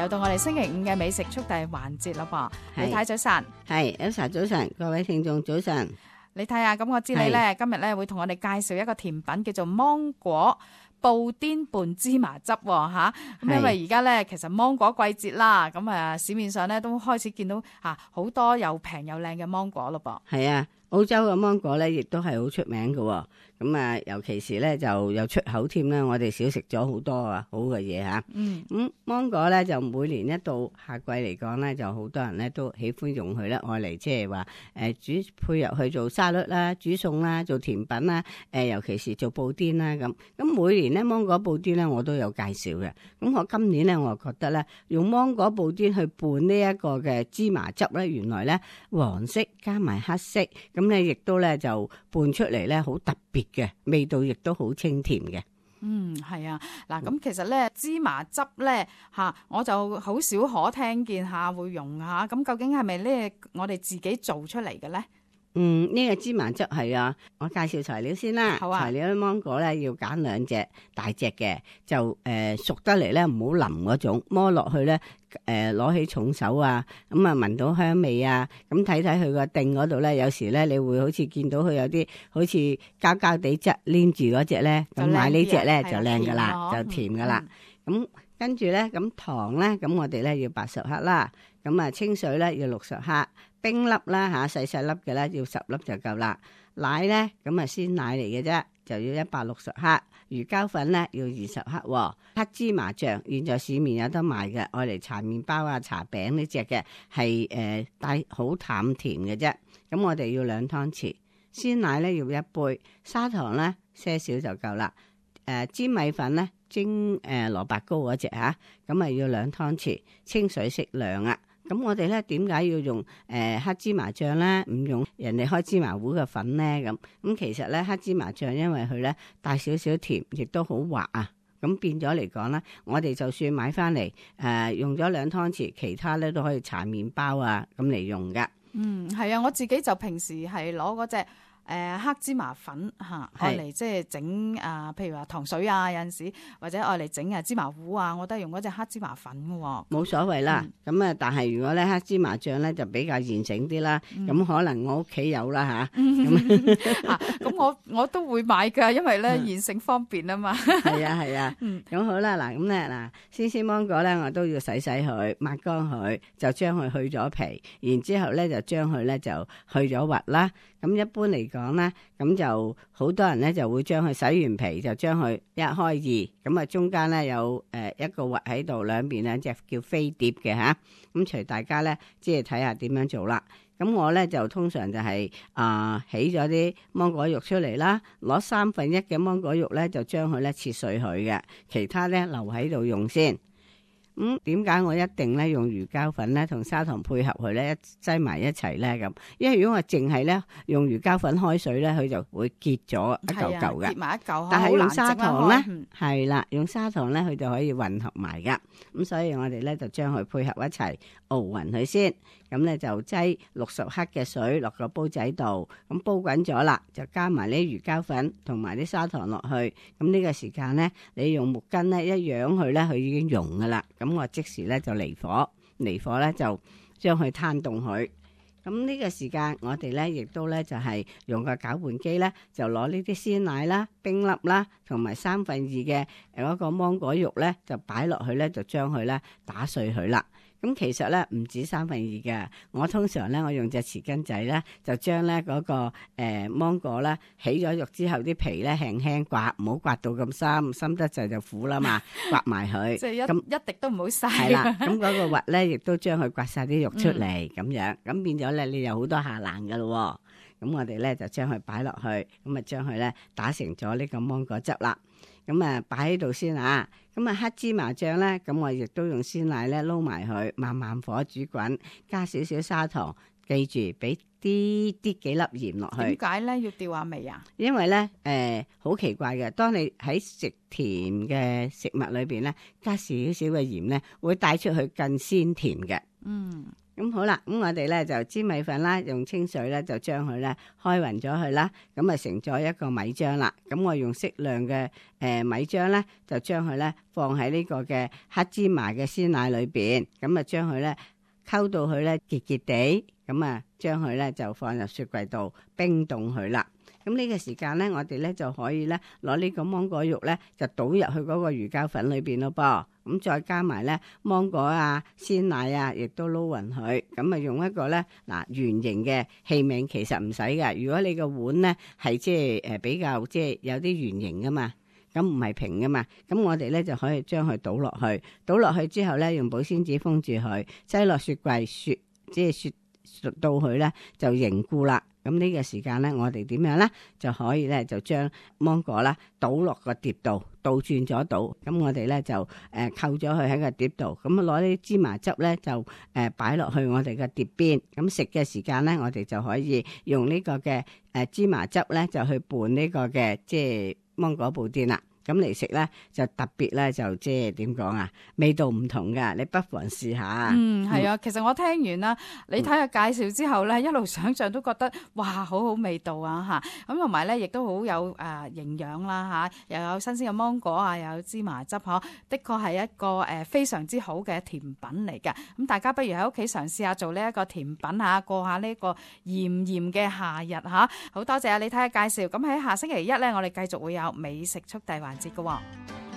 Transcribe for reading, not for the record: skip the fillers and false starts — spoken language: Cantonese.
又到我哋星期五嘅美食速遞環節啦噃。李太早晨，係 Elsa 早晨，各位聽眾早晨。李太啊，咁我知你咧今日咧會同我哋介紹一個甜品叫做芒果布甸拌芝麻汁吓。咁因為而家咧其實芒果季節啦，咁啊市面上咧都開始見到好多又平又靚嘅芒果咯噃。係啊，澳洲嘅芒果咧亦都係好出名嘅。咁啊，尤其是咧就有出口添啦，我哋少食咗好多好嘅嘢吓。咁芒果咧就每年一到夏季嚟講咧，就好多人咧都喜歡用佢咧，愛嚟即係話煮配入去做沙律啦、煮餸啦、做甜品啦，尤其是做布甸啦咁。咁每年咧芒果布甸咧我都有介紹嘅。咁我今年咧我覺得咧用芒果布甸去拌呢一個嘅芝麻汁咧，原來咧黃色加埋黑色，咁咧亦都咧就拌出嚟咧好特別嘅味道，亦都好清甜嘅。係啊，嗱咁其實咧芝麻汁咧我就好少可聽見會用下，咁究竟係咪咧我哋自己做出嚟嘅咧？呢個芝麻汁係啊，我介紹材料先啦。好啊。材料芒果咧要揀2隻大隻嘅，就熟得嚟咧唔好腍嗰種，摸落去咧攞起重手啊，咁啊聞到香味啊，咁睇睇佢個頂嗰度咧，有時咧你會好似見到佢有啲好似膠膠地質黏住嗰隻咧，咁買呢隻咧就靚噶啦，就甜噶啦。咁跟住咧咁糖咧，咁我哋咧要80克啦，咁啊清水咧要60克。冰粒啦細細粒嘅咧要10粒就夠啦。奶咧咁啊鮮奶嚟嘅啫，就要160克。魚膠粉咧要20克。黑芝麻醬現在市面有得賣嘅，愛嚟搽麵包啊、搽餅呢隻嘅，係帶好淡甜嘅啫。咁我哋要2湯匙。鮮奶咧要1杯，砂糖咧些少就夠啦。粘米粉咧蒸蘿蔔糕嗰隻咁啊要2湯匙，清水適量啊。咁我哋咧點解要用黑芝麻醬咧？唔用人哋開芝麻糊嘅粉咧？咁其實咧黑芝麻醬因為佢咧帶少少甜，亦都好滑啊。咁變咗嚟講咧，我哋就算買翻嚟用咗2湯匙，其他咧都可以搽麵包啊咁嚟用噶。係啊，我自己就平時係攞嗰隻黑芝麻粉愛嚟即係整譬如話糖水啊，有陣時或者愛嚟整芝麻糊啊，我都係用嗰隻黑芝麻粉嘅。冇所謂啦。咁但係如果咧黑芝麻醬咧就比較現成啲啦。咁可能我屋企有啦咁我都會買噶，因為咧現成方便啊嘛。係啊。咁好啦，嗱咁咧鮮鮮芒果咧我都要洗佢，抹乾佢，就將佢去咗皮，然之後咧就將佢咧就去咗核啦。咁一般嚟講咧，咁就好多人咧就會將佢洗完皮，就將佢一開二，咁啊中間咧有一個核喺度，兩邊兩隻叫飛碟嘅吓。咁隨大家咧即係睇下點樣做啦。咁我咧就通常就係起咗啲芒果肉出嚟啦，攞1/3嘅芒果肉咧就將佢咧切碎佢嘅，其他咧留喺度用先。點解我一定咧用魚膠粉咧同砂糖配合佢咧擠埋一齊咧咁？因為如果我淨係咧用魚膠粉開水咧，佢就會結咗一嚿嚿嘅。結埋一嚿，但係用砂糖咧，係啦，用砂糖咧佢就可以混合埋噶。咁所以我哋咧就將佢配合一齊熬勻佢先。咁咧就擠60克嘅水落個煲仔度，咁煲滾咗啦，就加埋啲魚膠粉同埋啲砂糖落去。咁呢個時間咧，你用木棍咧一揚佢咧，佢已經溶噶啦。咁我即時咧就離火咧就將佢攤凍佢。咁呢個時間我哋咧亦都咧就係用個攪拌機咧，就攞呢啲鮮奶啦、冰粒啦，同埋2/3嘅嗰個芒果肉咧，就擺落去咧，就將佢咧打碎佢啦。咁其實咧唔止2/3嘅，我通常咧我用隻匙羹仔咧，就將咧嗰個芒果咧起咗肉之後啲皮咧輕輕刮，唔好刮到咁深得滯就苦啦嘛，刮埋佢。即係一滴都唔好嘥。係啦，咁嗰個核咧亦都將佢刮晒啲肉出嚟咁樣，咁變咗咧你有好多下欄噶咯。咁我哋咧就將佢擺落去，咁啊將佢咧打成咗呢個芒果汁啦。咁啊擺喺度先啊。咁啊黑芝麻醬咧，咁我亦都用鮮奶咧撈埋佢，慢慢火煮滾，加少少砂糖，記住俾啲幾粒鹽落去。點解咧要調下味啊？因為咧好奇怪嘅，當你喺食甜嘅食物裏邊咧加少少嘅鹽咧，會帶出去更鮮甜嘅。咁好啦，咁我哋咧就煎米粉啦，用清水咧就將佢咧開勻咗佢啦，咁啊成咗一個米漿啦。咁我用適量嘅米漿咧，就將佢咧放喺呢個嘅黑芝麻嘅鮮奶裏邊，咁啊將佢咧溝到佢咧結結地，咁啊將佢咧就放入雪櫃度冰凍佢啦。咁呢個時間咧，我哋咧就可以咧攞呢個芒果肉咧，就倒入去嗰個魚膠粉裏邊咯噃。咁再加埋咧芒果啊、鮮奶啊，亦都撈勻佢。咁啊用一個咧圓形嘅器皿，其實唔使㗎。如果你個碗咧係即係比較即係有啲圓形噶嘛，咁唔係平噶嘛，咁我哋咧就可以將佢倒落去。倒落去之後咧，用保鮮紙封住佢，擠落雪櫃雪到佢咧就凝固啦。咁呢個時間咧，我哋點樣咧就可以咧就將芒果啦倒落個碟度，倒轉咗倒。咁我哋咧就扣咗佢喺個碟度。咁攞啲芝麻汁咧就擺落去我哋嘅碟邊。咁食嘅時間咧，我哋就可以用呢個嘅芝麻汁咧就去拌呢個嘅即係芒果布甸啦。咁嚟食咧就特別咧就即係點講啊，味道唔同噶，你不妨試下。係啊，其實我聽完啦，你睇下介紹之後咧，一路想象都覺得哇，好好味道啊嚇！咁同埋咧，亦都好有營養啦嚇，又有新鮮嘅芒果啊，又有芝麻汁嗬，的確係一個非常之好嘅甜品嚟嘅。咁大家不如喺屋企嘗試下做呢一個甜品嚇，過下呢個炎炎嘅夏日嚇。好多謝啊，你睇下介紹。咁喺下星期一咧，我哋繼續會有美食速遞環節嘅喎。